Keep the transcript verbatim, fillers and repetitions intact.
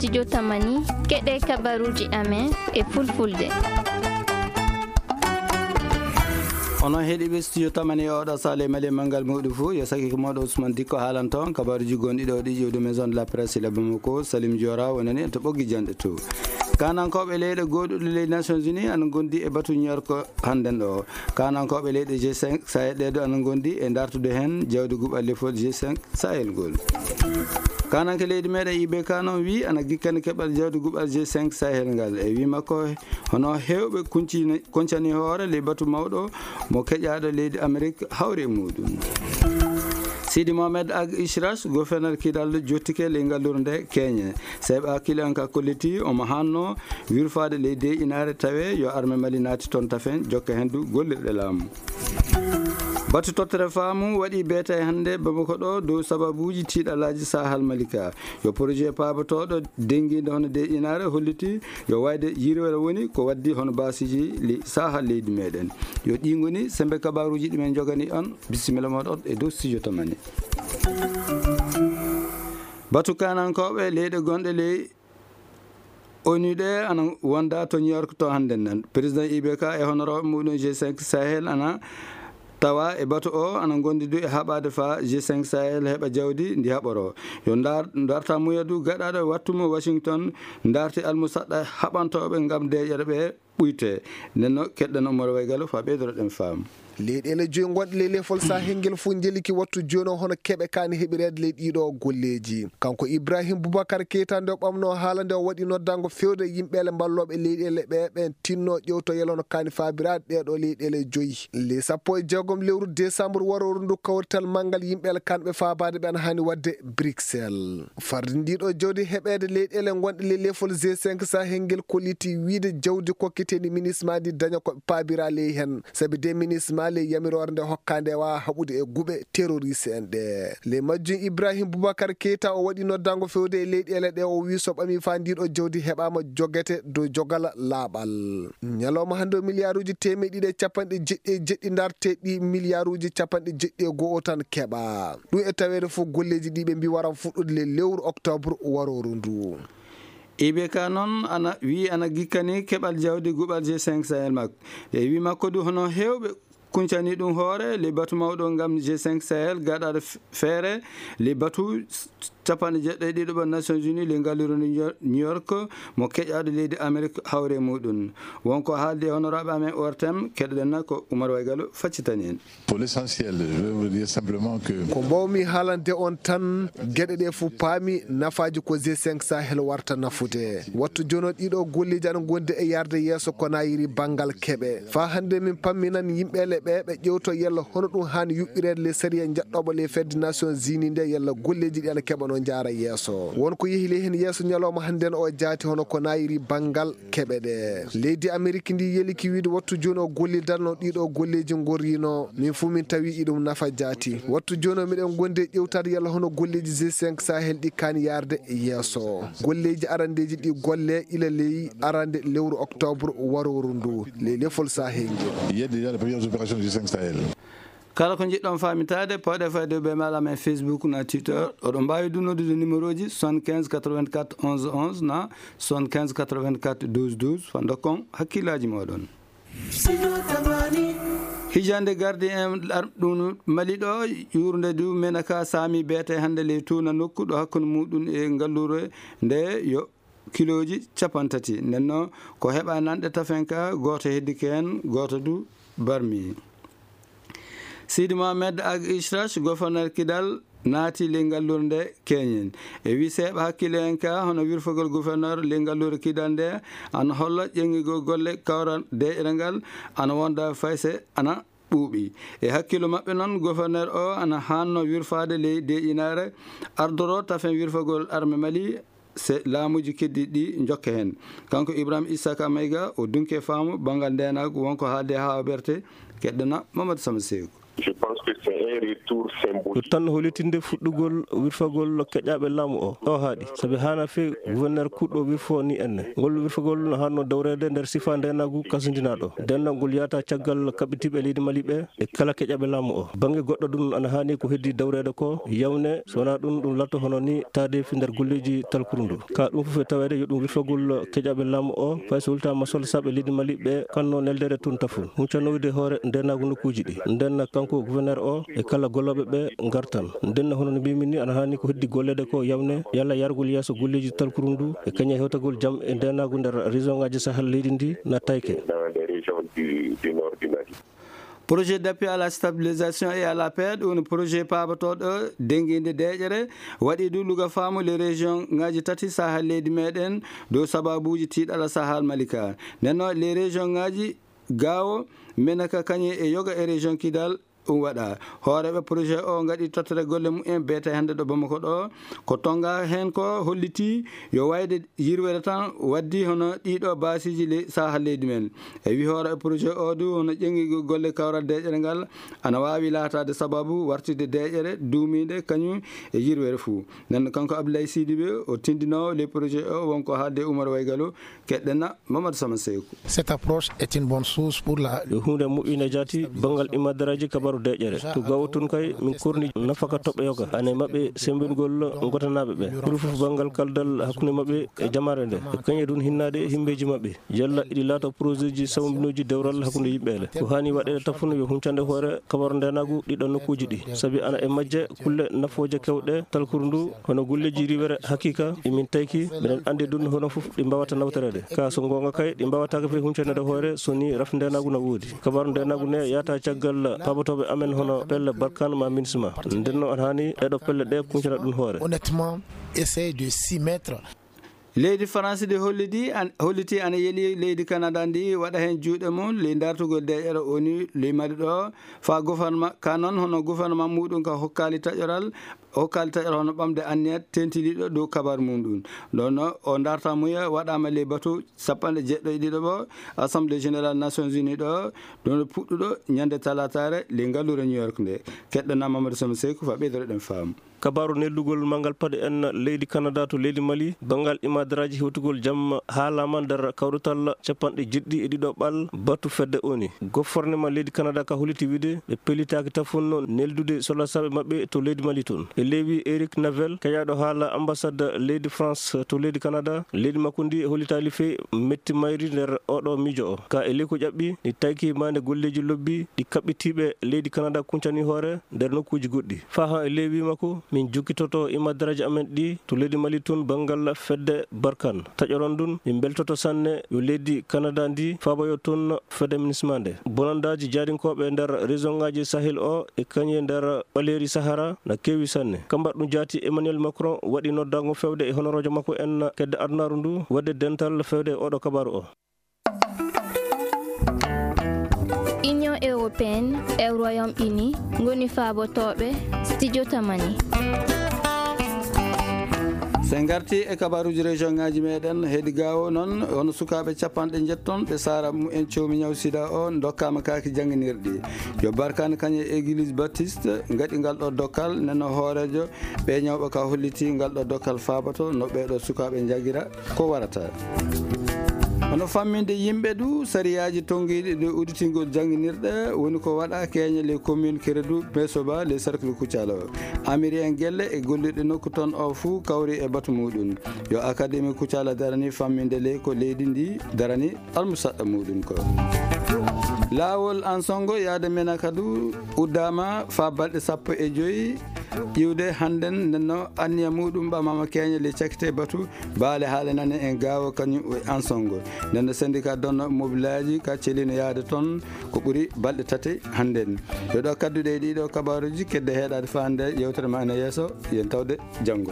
Studio Tamani, keɗe kabaruji amen e fulfulde. Onon heɗiɓe Studio Tamani e oɗo sale mali e mangal muɗum fuu, yo saki ko moɗo Ousmane Dikko haalanto on kabaruji gonɗi ɗo ɗi ƴewde Maison de la Presse e Bamako, Salim Diora wonani en to ɓoggi janɗe to. Kanankoɓe leyɗe goɗɗuɗe ley Nations Unies ana gondi e batu New York hannden ɗo. Kanankoɓe leyɗe G cinq Sahel ɗe ɗo ana gondi e dartude hen jawdi guɓal lefol G cinq Sahel ngol. Kananke leydi meɗen I B K noon wi ana gikkani keɓal jawdi guɓal G cinq Sahel ngal. E wi makko, hono hewɓe kuncini-, koncani hoore ley batu mawɗo mo keƴaɗo leydi Amerik hawri e muɗum. Sidi Mohamed Ag Ishrash, gouverneur kidal jottike ley ngallure nde Keñe. Seyɓa hakkille on ka kolliti omo hanno wirfaade ley dey inaare tawe yo arme Mali naati toon tafen jokka hen du gollirɗe laamu. Batu tottere faamu waɗi beeta e hannde Bamako ɗo dow sababuuji tiiɗalaaji Sahal Malika. Yo projet paabotooɗo denngiinde hono dey inaare holliti yo wayde yirwere woni ko waddi hono baasiji li Sahal leydi meɗen. Yo ɗi ngoni sembe kabaruuji ɗi men jogani on. Bisimilla moɗon e dow studio Tamani. Batu kanankooɓe leyɗe gonɗe ley O N U ɗe ana wonda to New York to hannden nan. Président I B K e honorooɓe muɗum G cinq Sahel ana tawa e batu o ana gondi du e haɓade fa G cinq Sahel heɓa jawdi ndi haɓoro. Yo ndar-, darta muya du gaɗaɗo wattu mo Washington darti almusaɗɗa haɓantoɓe ngam deƴere ɓe ɓuyte. Nden no keɗɗen Omar Waygalo fa ɓeydoro ɗen faamu. Leyɗeele joyi gonɗe ley lefol Sahel ngel fof njeliki wattu jooni o hono keɓe kaani heɓireede ley ɗiɗo golleeji. Kanko Ibrahim Boubacar Keita nde o ɓamno haala nde o waɗi noddango fewde yimɓeele mballooɓe leyɗeele ɓe ɓen tinno ƴewto yelo no kaani faabiraade ɗeɗo leyɗeele joyi. Ley sappo e jeegom lewru décembre waroru ndu kawrital manngal yimɓeele kanɓe faabaade ɓe ana haani waɗde Bruxelles. Farde ndiɗo jawdi heɓeede leyɗeele gonɗe ley lefol G cinq Sahel ngel kolliti wiide jawdi kokkiteeni minisma ndi daña ko paabira ley hen. Sabi de minisma ley yamiroore nde hokkaande e waawa haɓude e guɓe terroriste en ɗe. Ley majjum Ibrahim Boubacar Keita o waɗi noddango fewde e leyɗeele ɗe o wi so ɓami fa ndiɗo jawdi heɓaama jogete dow jogala laaɓal. Ñalawma hannde o miliyaaruuji teemeɗe ɗiɗi e capanɗe jeɗɗi e jeɗɗi darteɗi miliyaaruuji capanɗe jeɗɗi e go'o tan keɓa. Ɗum e taweede fof golleeji ɗi ɓe mbi waran fuɗɗude le lewru octobre waroru ndu. I B K noon ana wi ana gikkani keɓal jawdi guɓal G cinq Sahel makko. E wi makko du hono hewɓe kuncani ɗum hoore le batu mawɗo ngam G cinq Sahel gaɗaɗo f-, feere le batu s-, capanɗe jeɗɗo e ɗiɗo ɓo Nations Unies le ngalluru New York mo keƴaɗo leydi Amerik hawre muɗum. Wonko haaldi e honoraaɓe amen O R T M, keɗoɗen na ko Oumar Waygalo faccitani en. Pour l'essentiel, je vais vous dire simplement que Ko mbawmi haalande on tan, geɗe ɗe fof paami nafaaji ko G cinq Sahel warta nafude. Wattu jono ɗiɗo golleeji ana gondi e yarde yeeso ko nayiri banngal keɓe. Fa hannde min pamminan yimɓe le ɓe ɓe ƴewto yalla hono ɗum haani yuɓɓireede le sariya jaɗɗoɓo le fedde Nations Unies nde yalla golleeji ɗi ana keɓa no jaara yeeso. Won ko yehi le heen yeeso ñalawma hannde o jaati hono ko nayiri banngal keɓe ɗe. Leydi Amerik ndi yeliki wiide wattu jooni o gollidanno ɗiɗo golleeji gorrino. Min fuu min tawi iɗum nafa jaati. Wattu jooni o miɗen gondi e ƴewtaade yalla hono golleeji G cinq Sahel ɗi kaani yarde yeeso. Golleeji arandeeji ɗi golle ila ley arande lewru octobre waroru ndu. Ley lefol Sahel ngel. Il y a déjà les premières opérations du G cinq Sahel. Kala ko njiɗɗon faamitaade, pawɗe fayde ɓe maala men Facebook na Twitter. Oɗon mbaawi du noddude numéro ji soixante-quinze quatre-vingt-quatre onze onze na soixante-quinze quatre-vingt-quatre douze douze. Fa ndokkon hakkillaaji mooɗon. Hijande gardi en ar-, ɗum Mali ɗo, yurde du Menaka saami beete hannde ley tuuna nokku ɗo hakkunde muɗum e ngallure nde yo kilooji capanɗe tati. Nden noon ko heɓa nanɗe tafen ka, gooto heddike heen, gooto du barmi. Sidi Mohamed Ag Ishrash, gouverneur Kidal, naati ley ngallure nde Keñen. E wi seeɓa hakkille en ka, hono wirfogol gouverneur ley ngallure Kidal nde, ana holla ƴeŋŋigol golle kawral de'ere ngal, ana wonda fayse, ana ɓuuɓi. E hakkillo maɓɓe noon, gouverneur o ana hanno wirfaade ley deƴinaare, ardoro tafen wirfogol arme Mali, se laamuuji keddiiɗi ɗi njokka heen. Kanko Ibrahim Issaka Mayga, o dunke faamu banngal ndeenaagu, wonko haalde haa o ɓerte, keɗɗana Mamadou Sama Seeku. Je pense que c'est un retour symbolique. Ɗum tan no hollitinde fuɗɗugol wirfagol keƴaaɓe laamu o. O haaɗi, sabi haana feewi gouverneur kuuɗo wirfo ni enne. Ngol wirfagol no haanno dawreede nder sifa ndeenaagu kasindinaaɗo. Ndennoo ngol yahata caggal kaɓɓitiiɓe leydi Mali ɓe e kala keƴaaɓe laamu o. Bannge goɗɗo ɗum ana haani ko heddii dawreede ko yawne, so wonaa ɗum, ɗum laatoo hono ni taadeefi nder golleeji talkuru ndu. Ka ɗum fof e taweede yo ɗum wirfagol keƴaaɓe laamu o, fay so wultaama solosaaɓe leydi Mali ɓe kanno neldeede toon tafun. Huncanoyde hoore ndeenaagu nokkuuji ɗi. Nden kanko gouverneur o e kala gollooɓe ɓe ngartan. Nden hono no mbimi ni ana haani ko heddi golleede ko yawne yalla yargol yeeso golleeji talkuru ndu e kañum e hewtagol jam e ndeenaagu nder région ngaaji Sahel leydi ndi na tayke. Dans les régions du, du nord du Mali. Projet d'appui à la stabilisation et à la paix, ɗum woni projet paabatooɗo dennginde deeƴere, waɗi du luga faamu les région ngaaji tati Sahel leydi meɗen dow sababuuji tiiɗalla Sahel Malika. Nden noon les région ngaaji Gao, Menaka kañum e Yoga e région Kidal ɗum waɗa. Hooreeɓe projet o ngaɗi tottere golle mumen beete hannde ɗo Bamako ɗo. Ko tonga heen ko holliti yo wayde yirwere tan waddi hono ɗiɗo baasiiji le-, Sahel leydi men. E wi hooreeɓe projet o du hono ƴeŋgigol golle kawral deeƴere ngal ana waawi laataade sababu wartide deeƴere duumiinde kañum e yirwere fuu. Nden kanko Abdoulaye Sidibé o tindinoowo le projet o wonko haalde Oumar Waygalo. Keɗɗen na Mamadou Sama Seyku. Cette approche est une bonne source pour la Yo huunde moƴƴinde jaati banngal imadaraaji kabaru deeƴere. To gawo tun kay min korni nafaka toɓɓe yoga. Ane maɓɓe sembingol ngotanaaɓe ɓe. Ɓuri fof banngal kaldal hakkunde maɓɓe e jamaare nde. E kañe ɗun hinnaade himbeeji maɓɓe. Yalla iɗi laato projetji sawmbinooji dewral hakkunde yimɓe ele. Ko haani waɗeede tafun yo huncande hoore kabaru ndeenaagu ɗiɗo nokkuuji ɗi. Sabi ana e majje kulle nafooje kewɗe talkuru ndu, hono golleeji riwere hakiika, ɗi min tayki, miɗen anndi ɗun hono fof ɗi mbaawata nawtoreede. Ka so goonga kay, ɗi mbaawataake fay huncanaade hoore so ni rafi ndeenaagu na woodi. Kabaru ndeenaagu ne yahata caggal paabotooɓe amen hono pelle Barkhane ma MINUSMA. Nden no ana haani ɗeɗo pelle ɗe kuncana ɗun hoore. Honnêtement, essayer de s'y mettre. Leydi Faransi ndi hollidi an-, holliti ana yeli leydi Kanada ndi waɗa heen juuɗe mum ley dartugol deeƴere ONU ley Mali ɗo, faa gouvernement, ka noon hono gouvernement muɗum ka hokkaali taƴoral, hokkaali taƴoral hono ɓamde anniya tentiniiɗo dow kabaru mum ɗum. Ɗon o dartamuya waɗaama ley batu sappanɗe jeeɗiɗo e ɗiɗo ɗo Assemblée Générale Nations Unies ɗo, ɗum puɗɗuɗo ñande talaataare ley ngalluure New York nde. Keɗɗo na Mamadou Sama Seyku faa ɓeydoro ɗen faamu. Kabaaru neldugol manngal paɗe en leydi Kanada to leydi Mali, banngal imadaraaji hewtugol jam haalaama nder kawrital capanɗe jeeɗiɗi e ɗiɗo ɓal batu fedde ONU. Gofornema leydi Kanada ka holliti wiide ɓe pellitaaki tafun neldude solasaaɓe maɓɓe to leydi Mali toon. E leewi Eric Navel, keƴaaɗo haala ambassade leydi France to leydi Kanada, leydi makko ndi hollitaali fey metti mayri nder oɗo miijo o. Ka e ley ko ƴaɓɓi, ɗi tayki maande golleeji lobbi ɗi kaɓɓitiiɓe leydi Kanada kuncani hoore nder nokkuuji goɗɗi. Faa haa e ley wii makko, min jokkitoto imadaraaji amen ɗi to leydi Mali tun banngal fedde Barkhane. Taƴoron ndun, min mbeltoto sanne yo leydi Kanada ndi faaboyo tun fedde MINUSMA nde. Bonandaaji jaarinkooɓe nder région ngaaji Sahel o e kañe nder ɓaleeri Sahara na keewi sanne. Ka mbaɗɗun jaati Emmanuel Macron waɗi noddaango fewde e honoroojo makko en kedde adunaaru ndu waɗde dental fewde e oɗo kabaaru o. Union européenne e Royaume-Uni ngoni faabotooɓe Studio Tamani. So en ngarti e kabaaruuji région ngaaji meɗen, heedi gaawo noon, hono sukaaɓe capanɗe njetton ɓe saara mumen coomi ñaw sida o ndokkaama kaaki jannginirɗi. Yo Barkhane kañe Église Baptiste ngaɗi ngal ɗo dokkal, neno hooreejo ɓe ñawɓe ka holliti ngal ɗo dokkal faaboto no ɓee ɗo sukaaɓe njagira ko warata. Hono famminde yimɓe du, sariyaaji tonngiiɗi ɗo udditingol jannginirɗe woni ko waɗa keeñe les communes Kérédou, Mesoba, les cercles Koutiala. Amiri en gelle e gollirɗe nokku toon o fuu kawri e batu muɗum. Yo Académie Koutiala darani famminde le ko leydi ndi darani almusaɗɗa muɗum ko. Laawol Ansongo yaade Menaka du uddaama faa balɗe sappo e joy iwde hannden, nden no anniya muɗum ɓamaama keeñe le cakkite batu baale haale nane en gaawo kañum e Ansongo. Nden no syndicat donno mobilaaji ka celino yaade toon ko ɓuri balɗe tati hannden. Yo ɗo kadduɗe e ɗiɗo kabaaruuji kedde heɗaade faa nde yewtere ma ene yeeso, yen tawde janngo.